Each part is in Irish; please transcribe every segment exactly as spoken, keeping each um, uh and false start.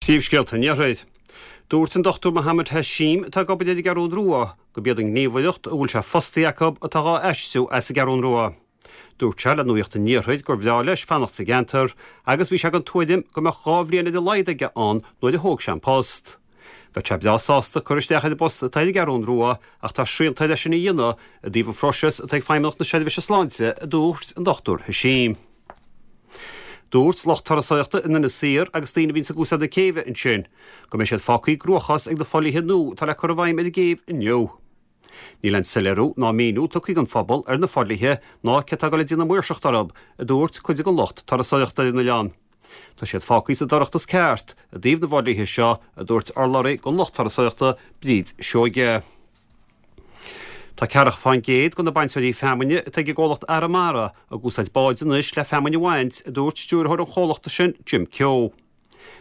Príomhscéalta an Iarthair. Dúirt an Dochtúir Mohammed Hashim atá ag obair ar an gCeathrú Rua gurb iad an ghníomhaireacht a bhfuil sé fostaí acu atá dhá aistriú as an gCeathrú Rua. Dúirt sé le Nuacht an Iarthair gur bhreá leis fanacht sa gceantar agus bhí sé den tuairim go mbeadh dhá bhliain ar a laghad aige ann nuair a thóg sé an post. Bheadh sé breá sásta cur isteach ar an bpost atá ar an gCeathrú Rua ach tá srianta leis sin a dhéanamh i dtaobh an phróisis atá ag Feidhmeannacht na Seirbhíse Sláinte, a dúirt an Dochtúir Hashim. Dúirt lucht turasóireachta in Inis Oírr agus daoine a bhíonn ag úsáid na céibhe ansin, go mbeidh siad fágtha i gcruachás ag na fodhlíthe nua atá le cur i bhfeidhm ar an gcéibh inniu. Níl aon soiléiriú ná míniú tugtha don phobal ar na fodhlíthe ná cé atá ag dul ag déanamh maoirseacht orthu, a dúirt cuid den lucht turasóireachta ar an oileán. Tá siad fágtha sa dorchadas ceart i dtaobh na bhfodhlíthe seo, a dúirt urlabhraí don lucht turasóireachta Bríd Seoige. Tá ceathracha fán gcéad de na bainteoirí feamainne atá ag an gcomhlacht Arramara ag úsáid báid anois le feamainn a bhaint, a dúirt stiúrthóir an chomhlachta sin Jim Keogh.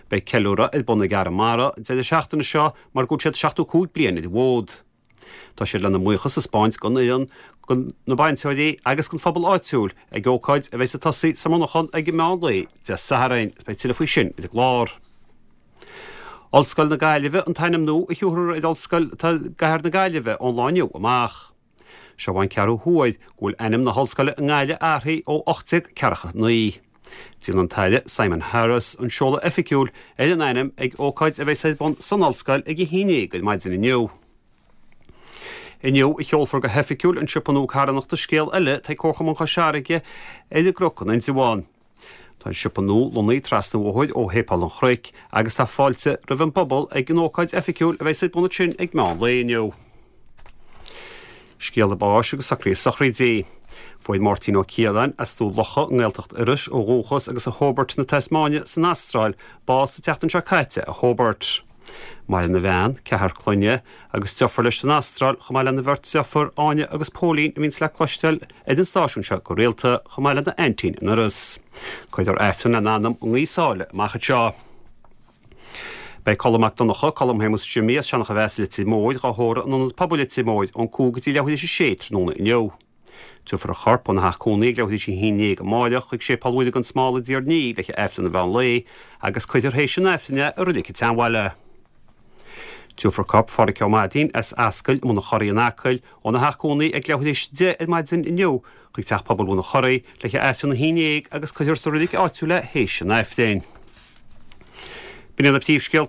Beidh ceiliúradh ar bun ag Arramara an deireadh seachtaine seo mar go bhfuil siad seachtó cúig bliain ar an bhfód. Tá siad lena mbuíochas a spáint don fhoireann, do na bainteoirí agus don phobal áitiúil ag ócáid a bheidh ag tosaí sa Mhonarchan ag an meán lae Dé Sathairn. Is beidh tuilleadh faoi sin ar an gclár. Ollscoil na Gaillimhe an t-ainm nua a thiúrfar ar ollscoil atá i gcathair na Gaillimhe ón lá inniu amach. Seo an ceathrú huair go bhfuil ainm na hollscoile i nGaillimh athraithe ó ocht déag ceathracha naoi. Déanfaidh an tAire Simon Harris an seoladh oifigiúil ar an ainm ag ócáid a bheidh ar bun san ollscoil ag a haon déag ar maidin inniu. Inniu a sheolfar go hoifigiúil an siopa nua carthanachta Scéal Eile atá ag Comharchumann Chois Fharraige ar an gCnoc in Indreabhán. Tá an siopa nua lonnaithe trasna an bhóthair ó Shéipéal an Chnoic agus tá fáilte roimh an bpobal ag an ócáid oifigiúil a bheidh ar bun ansin ag meán lae inniu. Scéala báis agus socruithe sochraide. Fuair Máirtín Ó Ciaráin as Dún Locha i nGaeltacht Iorrais ó dhúchas agus ó Hobart na Tasmáine san Astráil bás an tseachtain seo caite i Hobart. Maireann a bhean, ceathrar clainne, agus deirfiúr leis san Astráil chomh maith lena bheirt deirfiúr Áine agus Póilín a bhíonns le cloisteáil ar an stáisiún seo go rialta chomh maith lena aintín in Iorras. Cuirfear Aifreann lena anam i nGaoth Sáile amach anseo. Beidh Colm Mac Donncha, Colm Shéamuis Jimmy as Seancha Mheas Leitir Móir dhá thórramh in Ionad Pobail Leitir Móir ón cúig go dtí leathuair tar éis a sé tráthnóna inniu. Tabharfar a chorp óna theach cónaí ag leathuair tar éis a haon déag amáireach chuig Séipéal Mhuire gan Smál i dTír an Fhia le haghaidh Aifreann an mheán lae agus cuirfear théis an Aifrinn é i Reilig an tSeanbhaile. Tabharfar corp Phádhraic Ó Mainnín as Ascaill Bhun an Chorraigh in Acaill óna theach cónaí ag leathuair tar éis a deich ar maidin inniu chuig teach pobail Bhun an Chorraigh le haghaidh Aifreann a haon déag agus cuirfear sa reilig áitiúil é théis an Aifrinn. B'in iad na príomhscéalta.